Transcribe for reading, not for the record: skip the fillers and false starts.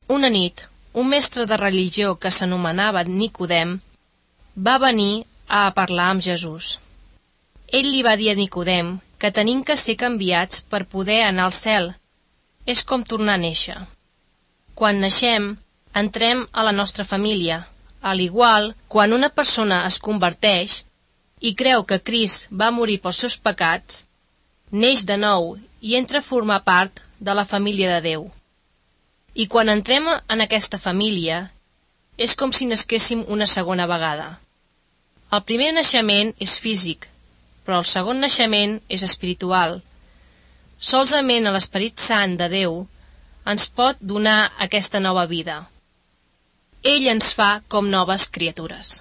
Una nit, un mestre de religió que s'anomenava Nicodem va venir a parlar amb Jesús. Ell li va dir a Nicodem que tenim que ser canviats per poder anar al cel. És com tornar a néixer. Quan naixem, entrem a la nostra família. A l'igual, quan una persona es converteix i creu que Crist va morir pels seus pecats, neix de nou i entra a formar part de la família de Déu. I quan entrem en aquesta família, és com si nasquéssim una segona vegada. El primer naixement és físic, però el segon naixement és espiritual. Solament l'Esperit Sant de Déu ens pot donar aquesta nova vida. Ell ens fa com noves criatures.